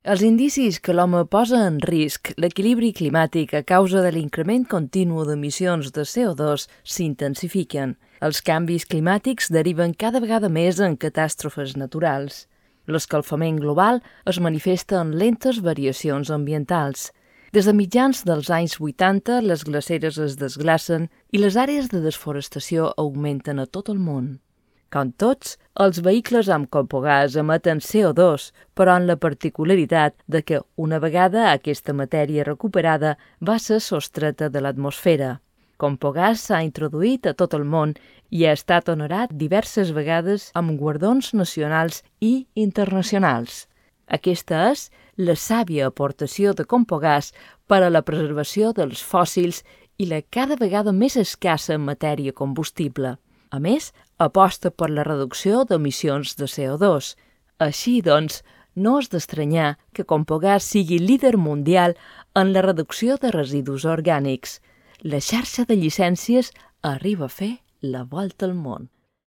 Els indicis que l'home posa en risc l'equilibri climàtic a causa de l'increment continu d'emissions de CO2 s'intensifiquen. Els canvis climàtics deriven cada vegada més en catàstrofes naturals. L'escalfament global es manifesta en lentes variacions ambientals. Des de mitjans dels anys 80, les glaceres es desglacen i les àrees de desforestació augmenten a tot el món. Com tots, els vehicles amb compogàs emeten CO2, però amb la particularitat de que, una vegada aquesta matèria recuperada, va ser sostreta de l'atmosfera. Compogàs s'ha introduït a tot el món i ha estat honorat diverses vegades amb guardons nacionals i internacionals. Aquesta és la sàvia aportació de Compogàs per a la preservació dels fòssils i la cada vegada més escassa matèria combustible. A més, aposta per la reducció d'emissions de CO2. Així, doncs, no és d'estranyar que Compogàs sigui líder mundial en la reducció de residus orgànics. La xarxa de llicències arriba a fer la volta al món.